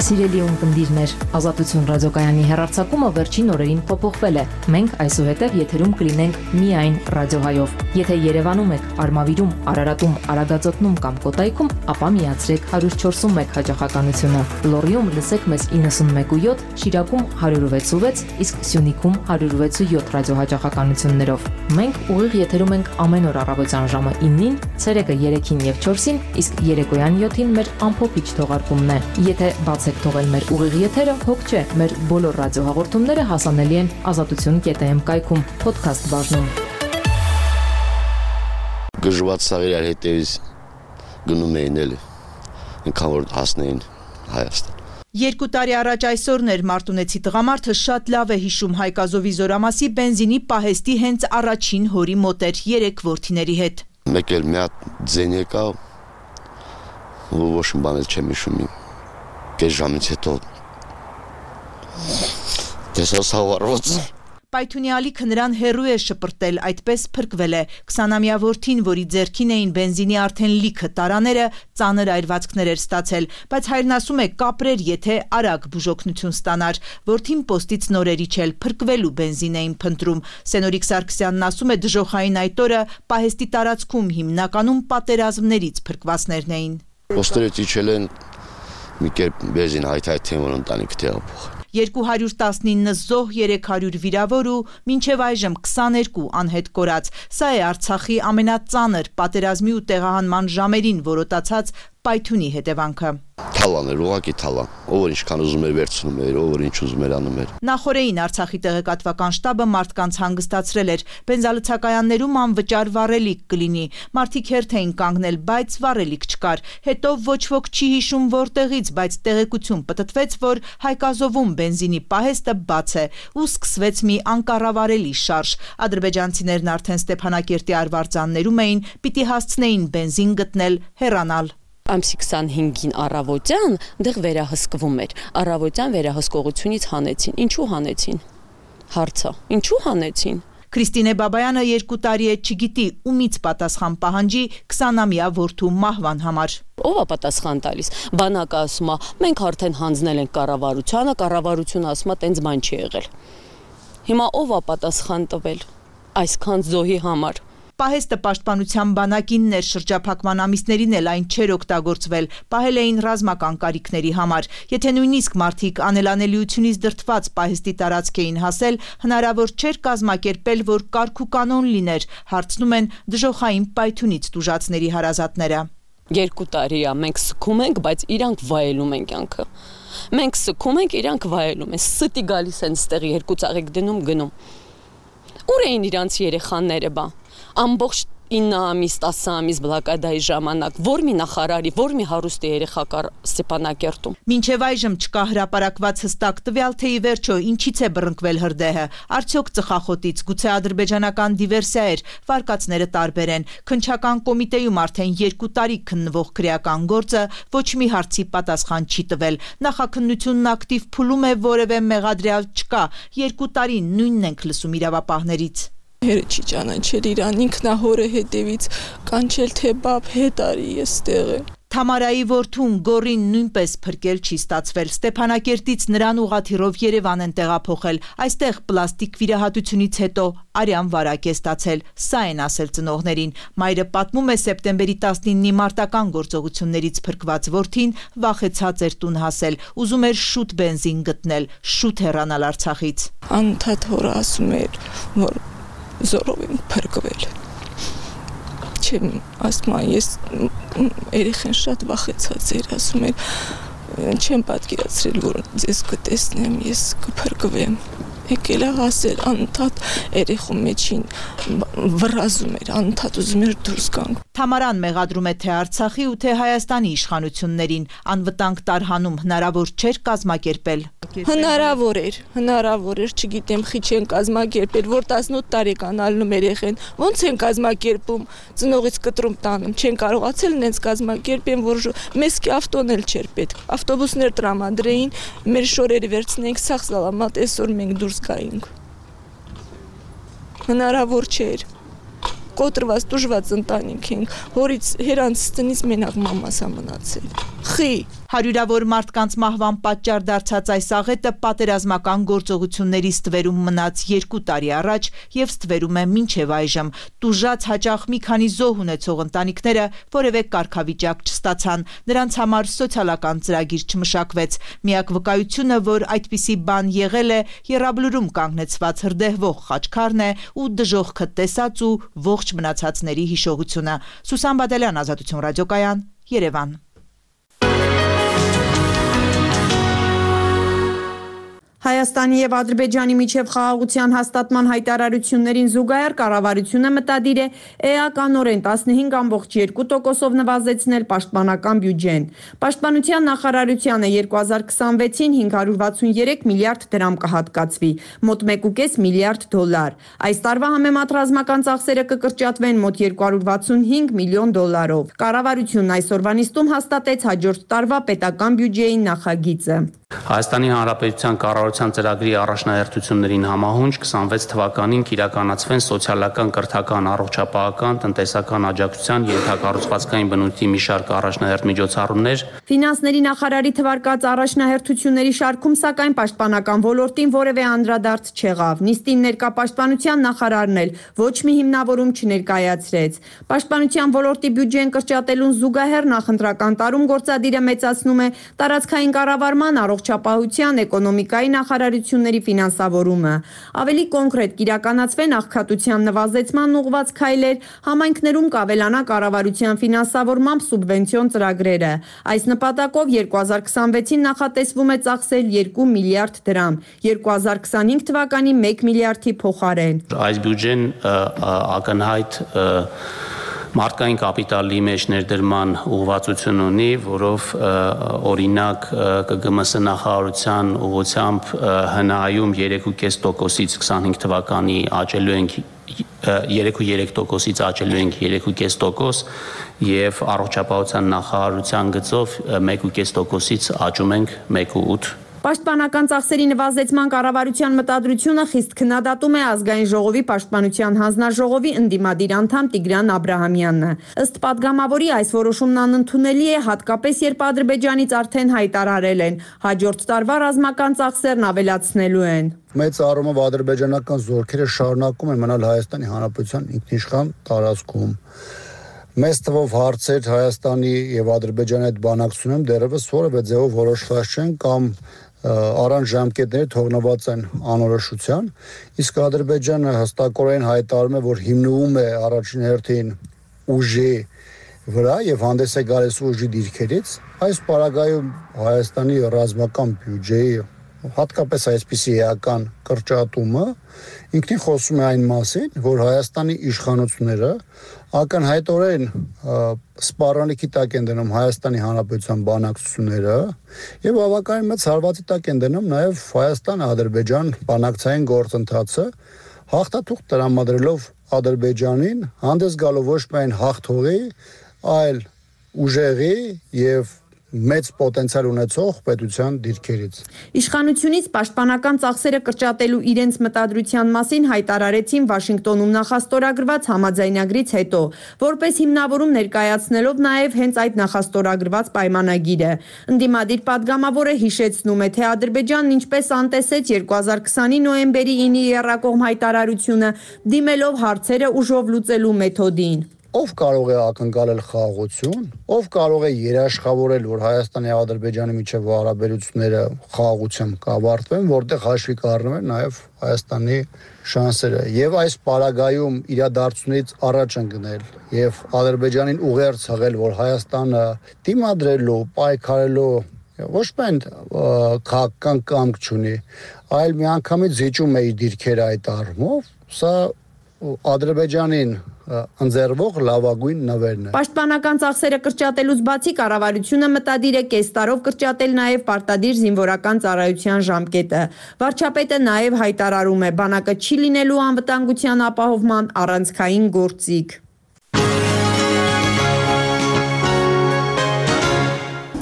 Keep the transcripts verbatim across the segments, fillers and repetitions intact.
Սիրելի ունկնդիրներ, Ազատություն ռադիոկայանի հեռարձակումը վերջին օրերին փոփոխվել է։ Մենք այսուհետև եթերում կլինենք միայն ռադիոհայով։ Եթե Երևանում եք, Արմավիրում, Արարատում, Արագածոտնում կամ Կոտայքում, ապա միացրեք one oh four one հաճախականությունը։ Լոռիում լսեք մեզ ninety-one point seven, Շիրակում one oh six point six, իսկ Սյունիքում one oh six point seven ռադիոհաճախականություններով։ Մենք ուղիղ եթերում ենք ամեն օր առավոտյան ժամը nine-ին, ցերեկը three-ին եւ four-ին, իսկ երեկոյան seven-ին մեր ամփոփիչ թողարկումն է։ Եթե բաց եք թողել մեր ուղիղ եթերը, հոգ չէ, մեր բոլոր ռադիոհաղորդումները հասանելի են ազատություն dot am կայքում, podcast բաժնում։ Գժված սաղիրար հետևից գնում էին էլի, ինքան որ հասնեին Հայաստան։ Երկու տարի առաջ այսօրն էր մարտունեցի տղամարդը շատ լավ է հիշում Հայկազովի Զորամասի բենզինի պահեստի հենց առաջին հորի մոտ էր երեք որդիների հետ։ Մեկ էլ մի հատ ձեն եկա, ոչ մի բան էլ չեմ հիշում։ Կես ժամից հետո տեսա սավառված։ Պայթունի ալիքը նրան հեռու է շպրտել, այդպես փրկվել է twenty-ամյա որդին, որի ձեռքին էին բենզինի արդեն լիքը տարաները, ծանր այրվածքներ էր ստացել, բայց հայրն ասում է կապրեր, եթե արագ բուժօգնություն ստանար։ Որդին պոստից նորերի չել փրկվելու բենզին էին փնտրում։ Սենորիկ Սարգսյանն ասում է դժոխային այդ օրը պահեստի տարածքում հիմնականում պատերազմներից փրկվածներն էին։ Պոստերից իջել են մի կերպ բենզին հայթայթեն, որ ընտանիք տեղափոխ։ two hundred nineteen զոհ, three hundred վիրավոր ու մինչև այժմ twenty-two անհետ կորած։ Սա է Արցախի ամենածանր պատերազմի ու տեղահանման ժամերին որոտացած պայթունի հետևանքը։ Թալան էր, ուղղակի թալան։ Ով որ ինչքան ուզում էր վերցնում էր, ով որ ինչ ուզում էր անում էր։ Նախորդին Արցախի տեղեկատվական շտաբը մարդկանց հանգստացրել էր։ Բենզալցակայաններում անվճար վառելիք կլինի։ Մարդիկ հերթ էին կանգնել, բայց վառելիք չկար։ Հետո ոչ ոք չի հիշում որտեղից, բայց տեղեկություն պտտվեց, որ Հայկազովում բենզինի պահեստը բաց է ու սկսվեց մի անկառավարելի շարժ։ Ադրբեջանցիներն արդեն Ստեփանակերտի արվարձաններում էին, պիտի հասցնեին բենզին գտնել, հեռանալ։ Ամսի twenty-five-ին առավոտյան դեղ վերահսկվում էր։ Առավոտյան վերահսկողությունից հանեցին։ Ինչու հանեցին։ Հարցը։ Ինչու հանեցին։ Քրիստինե Բաբայանը երկու տարի է չգիտի ումից պատասխան պահանջի twenty-ամյա որդու մահվան համար։ Ո՞վ է պատասխան տալիս։ Բանակը ասում է, մենք արդեն հանձնել ենք կառավարությանը, կառավարությունը ասում է, տենց բան չի եղել։ Հիմա ո՞վ է պատասխան տվել այսքան զոհի համար։ Պահեստը պաշտպանության բանակինն էր, շրջափակման ամիսներին էլ այն չէր օգտագործվել, պահել էին ռազմական կարիքների համար։ Եթե նույնիսկ մարդիկ անելանելիությունից դրդված պահեստի տարածք էին հասել, հնարավոր չէր կազմակերպել, որ կարգ ու կանոն լիներ, հարցնում են դժոխային պայթունից տուժածների հարազատները։ Երկու տարի է մենք սքում ենք, բայց իրանք վայելում են կյանքը։ Մենք սքում ենք, իրանք վայելում են, ստի գալիս են ստեղի երկու ծաղիկ դնում գնում։ Ուր էին իրանց երեխաները բա։ Ամբողջ nine ամիս, ten ամիս բլոկադայի ժամանակ որ մի նախարարի, որ մի հարուստի երեխա կար Ստեփանակերտում։ Մինչև այժմ չկա հրապարակված հստակ տվյալ, թե ի վերջո ինչից է բռնկվել հրդեհը։ Արդյոք ծխախոտից, գուցե ադրբեջանական դիվերսիա էր, վարկածները տարբեր են։ Քննչական կոմիտեում արդեն երկու տարի քննվող քրեական գործը ոչ մի հարցի պատասխան չի տվել։ Նախաքննությունն ակտիվ փուլում է, որևէ մեղադրյալ չկա։ Երկու տարի նույնն ենք լսում իրավապահներից։ Հերը չի ճանաչել իրան, ինքնահորը հետևից կանչել թե բապ հետ արի ես տեղը։ Թամարայի որդուն Գորին նույնպես փրկել չի ստացվել։ Ստեփանակերտից նրան ուղղաթիռով Երևան են տեղափոխել։ Այստեղ պլաստիկ վիրահատությունից հետո արյան վարակ է ստացել։ Սա են ասել ծնողներին։ Մայրը պատմում է սեպտեմբերի nineteen-ի մարտական գործողություններից փրկված որդին վախեցած էր տուն հասել, ուզում էր շուտ բենզին գտնել, շուտ հեռանալ Արցախից։ Անընդհատ հորը ասում էր, որ զորով եմ փրկվել։ Չեմ ասում, ես երեխան շատ վախեցած էր, ասում էր, չեմ պատկերացրել, որ ձեզ կտեսնեմ, ես կփրկվեմ։ Եկել է հասել անընդհատ երեխու մեջին վռազում էր, անընդհատ ուզում էր դուրս գանք։ Թամարան մեղադրում է թե Արցախի ու թե Հայաստանի իշխանություններին, անվտանգ տարհանում հնարավոր չէր կազմակերպել։ Հնարավոր էր, հնարավոր էր, չգիտեմ, խի չեն կազմակերպել, որ eighteen տարեկան ալնում երեխեն, ոնց են կազմակերպում, ծնողից կտրում տանում, չեն կարողացել նենց կազմակերպեն, որ մեզ ավտոն էլ չէր պետք, ավտոբուսներ տրամադրեին, մեր շորերը վերցնենք, սաղ սալամատ, այսօր մենք դուրս գայինք։ Հնարավոր չէր։ կոտրված, տուժված ընտանիք ենք, հորից հերանց տնից մենակ մամաս ա մնացել։ Խի Հարյուրավոր մարդկանց մահվան պատճառ դարձած այս աղետը պատերազմական գործողությունների ստվերում մնաց երկու տարի առաջ եւ ստվերում է մինչեւ այժմ։ Տուժած հաճախ մի քանի զոհ ունեցող ընտանիքները որևէ կարգավիճակ չստացան, նրանց համար սոցիալական ծրագիր չմշակվեց։ Միակ վկայությունը, որ այդպիսի բան եղել է, եռաբլուրում կանգնեցված հրդեհվող խաչքարն է ու դժոխքը տեսած ու ողջ մնացածների հիշողությունը։ Սուսան Բադալյան, Ազատություն ռադիոկայան, Երևան։ Հայաստանի եւ Ադրբեջանի միջև խաղաղության հաստատման հայտարարություններին զուգահեռ կառավարությունը մտադիր է էականորեն տասնհինգ կόμ երկու տոկոսով նվազեցնել պաշտպանական բյուջեն։ Պաշտպանության նախարարությանը երկու հազար քսանվեցին հինգ հարյուր վաթսուներեք միլիարդ դրամ կհատկացվի, մոտ մեկ կoma պենս միլիարդ դոլար։ Այս տարվա համեմատ ռազմական ծախսերը կկրճատվեն մոտ երկու հարյուր վաթսունհինգ միլիոն դոլարով։ Կառավարությունն այսօրվա նիստում հաստատեց հաջորդ տարվա պետական բյուջեի նախագիծը։ Հայաստանի Հանրապետության կառավարության ծրագրի առաջնահերթություններին համահունչ քսանվեց թվականին կիրականացվեն սոցիալական, կրթական, առողջապահական, տնտեսական աջակցության, ենթակառուցվածքային բնույթի մի շարք առաջնահերթ միջոցառումներ։ Ֆինանսների նախարարի թվարկած առաջնահերթությունների շարքում, սակայն պաշտպանական ոլորտին որևէ անդրադարձ չեղավ։ Նիստին ներկա պաշտպանության նախարարն էլ ոչ մի հիմնավորում չներկայացրեց։ Պաշտպանության ոլորտի բյուջեն կրճատելուն զուգահեռ նախընտրական տարում գործադիրը մեծացնում է տարածքային կառավարման, առողջապահության, էկոնոմիկայի նախարարությունների ֆինանսավորումը։ Ավելի կոնկրետ կիրականացվեն աղքատության նվազեցման ուղղված քայլեր, համայնքներում կավելանա կառավարության ֆինանսավորմամբ սուբվենցիոն ծրագրերը։ Այս նպատակով երկու հազար քսանվեցին նախատեսվում է ծախսել երկու միլիարդ դրամ, երկու հազար քսանհինգ թվականի մեկ միլիարդի փոխարեն։ Այս բյուջեն ակնհայտ մարդկային կապիտալի մեջ ներդրման ուղղվածություն ունի, որով օրինակ ԿԳՄՍ նախարարության ուղղությամբ հնայում երեք կoma պենս տոկոսից քսանհինգ թվականի աճելու ենք երեք կoma երեք տոկոսից աճելու ենք երեք կoma պենս տոկոս եւ առողջապահության նախարարության գծով մեկ կoma պենս տոկոսից աճում ենք մեկ կoma ութ։ Պաշտպանական ծախսերի նվազեցման կառավարության մտադրությունը խիստ քննադատում է Ազգային ժողովի պաշտպանության հանձնաժողովի ընդդիմադիր անդամ Տիգրան Աբրահամյանը։ Ըստ падգամավորի այս որոշումն անընդունելի է, հատկապես երբ Ադրբեջանից արդեն հայտարարել են հաջորդ տարվա ռազմական ծախսերն ավելացնելու են։ Մեծ առումով ադրբեջանական զորքերը շարունակում են մնալ Հայաստանի Հանրապետության ինքնիշխան տարածքում։ Մեծ թվով հարցեր Հայաստանի եւ Ադրբեջանի հետ բանակցությունում դեռևս որևէ ձևով որոշված չեն կամ առանց ժամկետների թողնված են անորոշության, իսկ Ադրբեջանը հստակորեն հայտարարում է, որ հիմնվում է առաջին հերթին ուժի վրա եւ հանդես է գալիս ուժի դիրքերից։ Այս պարագայում Հայաստանի ռազմական բյուջեի հատկապես այսպիսի էական կրճատումը ինքնին խոսում է այն մասին, որ Հայաստանի իշխանությունները ակնհայտորեն սպառնալիքի տակ են դնում Հայաստանի Հանրապետության բանակցությունները եւ բավականին մեծ հարվածի տակ են դնում նաեւ Հայաստան-Ադրբեջան բանակցային գործընթացը, հաղթաթուղթ տրամադրելով Ադրբեջանին հանդես գալով ոչ միայն հաղթողի, այլ ուժեղի եւ մեծ պոտենցիալ ունեցող պետության դիրքերից։ Իշխանությունից պաշտպանական ծախսերը կրճատելու իրենց մտադրության մասին հայտարարեցին Վաշինգտոնում նախաստորագրված համաձայնագրից հետո, որպես հիմնավորում ներկայացնելով նաև հենց այդ նախաստորագրված պայմանագիրը։ Ընդդիմադիր падգամավորը հիշեցնում է, թե Ադրբեջանն ինչպես անտեսեց երկու հազար քսանի նոյեմբերի ինի եռակողմ հայտարարությունը, դիմելով հարցերը ուժով լուծելու մեթոդին։ Ով կարող է ակնկալել խաղաղություն, ով կարող է երաշխավորել, որ Հայաստանի եւ Ադրբեջանի միջև հարաբերությունները խաղաղությամբ կավարտվեն, որտեղ հաշվի կառնում են նաեւ Հայաստանի շանսերը եւ այս պարագայում իրադարձությունից առաջ են գնել եւ Ադրբեջանին ուղերձ հղել, որ Հայաստանը դիմադրելու, պայքարելու ոչ միայն քաղաքական կամք չունի, այլ միանգամից զիջում է իր դիրքերը այդ առումով, սա Ադրբեջանին ընձեռվող լավագույն նվերն է։ Պաշտպանական ծախսերը կրճատելուց բացի կառավարությունը մտադիր է կես տարով կրճատել նաև պարտադիր զինվորական ծառայության ժամկետը։ Վարչապետը նաև հայտարարում է, բանակը չի լինելու անվտանգության ապահովման առանցքային գործիք։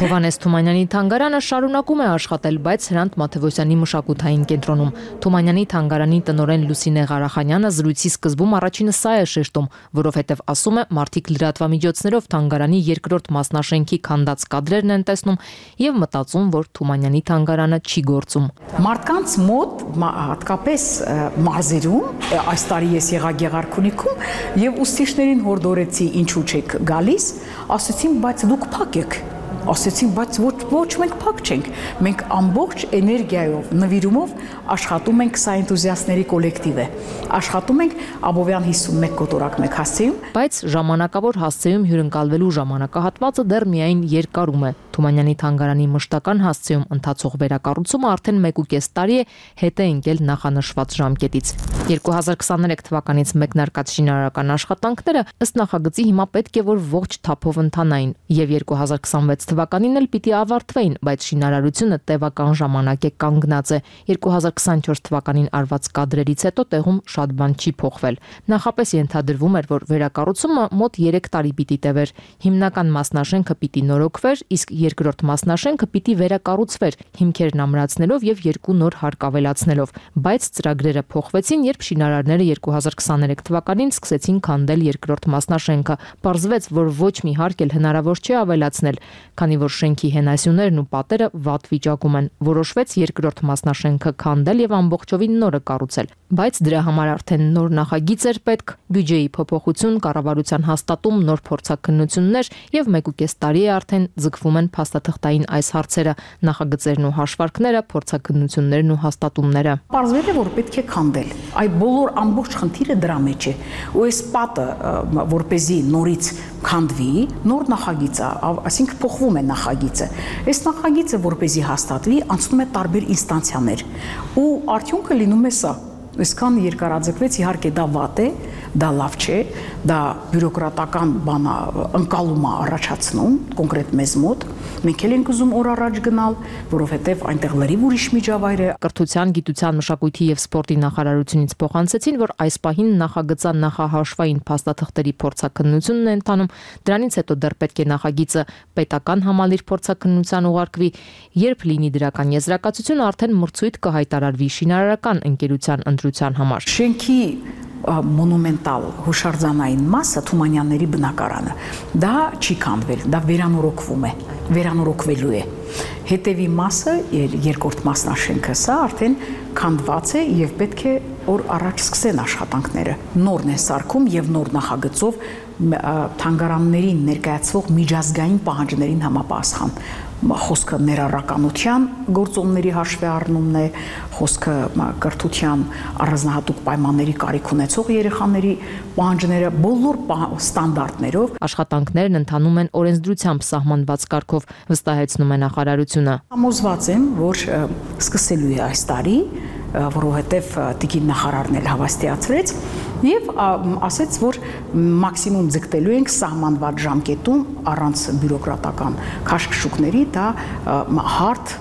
Հովհաննես Թումանյանի թանգարանը շարունակում է աշխատել, բայց Հրանտ Մաթևոսյանի մշակութային կենտրոնում։ Թումանյանի թանգարանի տնօրեն Լուսինե Ղարախանյանը զրույցի սկզբում առաջինը սա է շեշտում, որովհետև ասում է, մարդիկ լրատվամիջոցներով թանգարանի երկրորդ մասնաշենքի քանդած կադրերն են տեսնում եւ մտածում, որ Թումանյանի թանգարանը չի գործում։ Մարդկանց մոտ հատկապես մարզերում, այս տարի ես եղա Գեղարքունիքում եւ ուսուցիչներին հորդորեցի ինչու չեք գալիս, ասացին, բայց դուք փակ եք։ Ասեցին, բայց ոչ, ոչ մենք փակ չենք։ Մենք ամբողջ էներգիայով, նվիրումով աշխատում ենք սա էնտուզիաստների կոլեկտիվ է։ Աշխատում ենք Աբովյան հիսունմեկ կոտորակ մեկ հասցեում, բայց ժամանակավոր հասցեում հյուրընկալվելու ժամանակահատվածը դեռ միայն երկարում է։ Թումանյանի թանգարանի մշտական հասցեում ընթացող վերակառուցումը արդեն մեկ ու կես տարի է հետ է ընկել նախանշված ժամկետից։ երկու հազար քսաներեք թվականից մեկնարկած շինարարական աշխատանքները ըստ նախագծի հիմա պետք է որ ողջ թափով ընթանային եւ երկու հազար քսանվեց թվականին էլ պիտի ավարտվեին, բայց շինարարությունը տևական ժամանակ է կանգնած է։ երկու հազար քսանչորս թվականին արված կադրերից հետո տեղում շատ բան չի փոխվել։ Նախապես ենթադրվում էր, որ վերակառուցումը մոտ երեք տարի պիտի տևեր։ Հիմնական մասնաշենքը պիտի նորոգվեր, իսկ երկրորդ մասնաշենքը պիտի վերակառուցվեր, հիմքերն ամրացնելով եւ երկու նոր հարկ ավելացնելով, բայց ծրագրերը փոխվեցին, երբ շինարարները երկու հազար քսաներեք թվականին սկսեցին քանդել երկրորդ մասնաշենքը։ Պարզվեց, որ ոչ մի հարկ էլ հնարավոր չէ ավելացնել, քանի որ շենքի հենասյուներն ու պատերը վատ վիճակում են։ Որոշվեց երկրորդ մասնաշենքը քանդել եւ ամբողջովին նորը կառուցել, բայց դրա համար արդեն նոր նախագիծ էր պետք, բյուջեի փոփոխություն, կառավարության հաստատում, նոր փորձաքննություններ եւ մեկ ու կես տարի է արդեն ձգվում են փաստաթղթային այս հարցերը, նախագծերն ու հաշվարկները, փորձաքննություններն ու հաստատումները։ Պարզվել է, որ պետք է քանդել։ Այդ բոլոր ամբողջ խնդիրը դրա մեջ է։ Ու այս պատը, որպեսզի նորից քանդվի, նոր նախագիծ է, այսինքն փոխվում է նախագիծը։ Այս նախագիծը, որպեսզի հաստատվի, անցնում է տարբեր ինստանցիաներ։ Ու արդյունքը լինում է սա։ Այսքան երկարաձգվեց, իհարկե դա վատ է, դա լավ չէ, դա բյուրոկրատական բան ընկալում է առաջացնում կոնկրետ մեզ մոտ։ Մենք էլ ենք ուզում օր առաջ գնալ, որովհետև այնտեղ լրիվ ուրիշ միջավայր է։ Կրթության, գիտության, մշակույթի եւ սպորտի նախարարությունից փոխանցեցին, որ այս պահին նախագծան նախահաշվային փաստաթղթերի փորձաքննությունն է ընթանում, դրանից հետո դեռ պետք է նախագիծը պետական համալիր փորձաքննության ուղարկվի, երբ լինի դրական եզրակացություն, արդեն մրցույթ կհայտարարվի շինարարական ընկերության ընտրության համար։ Շենքի մոնումենտալ հուշարձանային մասը Թումանյանների բնակարանը դա չի քանդվել, դա վերանորոգվում է, վերանորոգվելու է։ Հետևի մասը, երկրորդ մասնաշենքը, սա արդեն քանդված է եւ պետք է օր առաջ սկսեն աշխատանքները։ Նորն է սարքում եւ նոր նախագծով թանգարաններին ներկայացվող միջազգային պահանջներին համապատասխան։ Խոսքը ներառականության գործոնների հաշվի առնումն է, խոսքը կրթության առանձնահատուկ պայմանների կարիք ունեցող երեխաների պահանջները բոլոր ստանդարտներով։ Աշխատանքներն ընթանում են օրենսդրությամբ սահմանված կարգով, վստահեցնում է նախարարությունը։ Համոզված եմ, որ սկսելու է այս տարի, որովհետև տիկին նախարարն էլ հավաստիացրեց եւ ասեց, որ մաքսիմում ձգտելու ենք սահմանված ժամկետում առանց բյուրոկրատական քաշքշուկների դա հարթ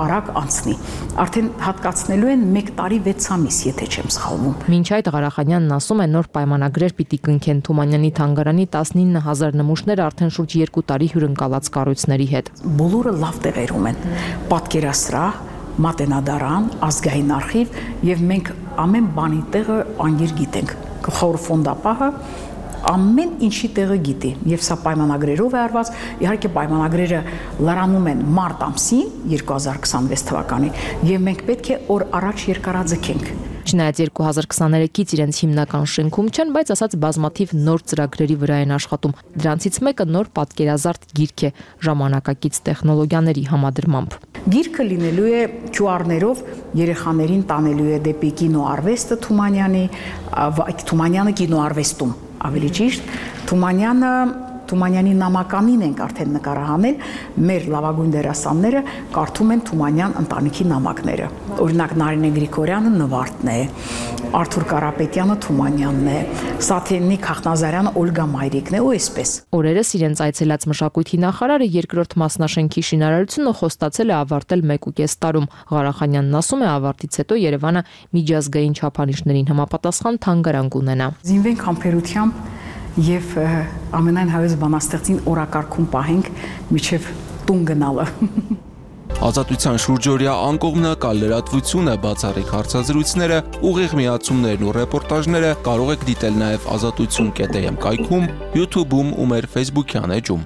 արագ անցնի։ Արդեն հատկացնելու են մեկ տարի վեց ամիս, եթե չեմ սխալվում։ Մինչ այդ Ղարախանյանն ասում է, նոր պայմանագրեր պիտի կնքեն Թումանյանի թանգարանի տասնինը հազար նմուշներ արդեն շուրջ երկու տարի հյուրընկալած կառույցների հետ։ Բոլորը լավ տեղերում են։ Պատկերասրահ, մատենադարան, ազգային արխիվ եւ մենք ամեն բանի տեղը անգիր գիտենք։ Գլխավոր ֆոնդապահը ամեն ինչի տեղը գիտի եւ սա պայմանագրերով է արված։ Իհարկե պայմանագրերը լրանում են մարտ ամսին երկու հազար քսանվեց թվականին եւ մենք պետք է օր առաջ երկարաձգենք։ Չնայած երկու հազար քսաներեքից իրենց հիմնական շենքում չեն, բայց ասած բազմաթիվ նոր ծրագրերի վրա են աշխատում։ Դրանցից մեկը նոր պատկերազարդ գիրք է ժամանակակից տեխնոլոգիաների համադրմամբ։ Գիրքը լինելու է քյու արներով, երեխաներին տանելու է դեպի կինոարվեստը Թումանյանի, Թումանյանը կինոարվեստում, ավելի ճիշտ, Թումանյանը Թումանյանի նամականին ենք արդեն նկարահանել, մեր լավագույն դերասանները կարդում են Թումանյան ընտանիքի նամակները։ Օրինակ Նարինե Գրիգորյանը Նվարդն է, Արթուր Կարապետյանը Թումանյանն է, Սաթենիկ Խախնազարյանը Օլգա Մայրիկն է ու այսպես։ Օրերս իրենց այցելած մշակույթի նախարարը երկրորդ մասնաշենքի շինարարությունը խոստացել է ավարտել մեկ ու կես տարում։ Ղարախանյանն ասում է, ավարտից հետո Երևանը միջազգային չափանիշներին համապատասխան թանգարան կունենա։ Զինվենք համբերությամբ եւ ամենայն հայոց բանաստեղծին օրակարգում պահենք միջև տուն գնալը։ Ազատության շուրջօրյա անկողմնակալ լրատվություն է, բացառիկ հարցազրույցները, ուղիղ միացումներն ու ռեպորտաժները կարող եք դիտել նաև ազատություն կետ am կայքում, YouTube-ում ու մեր Facebook-յան էջում։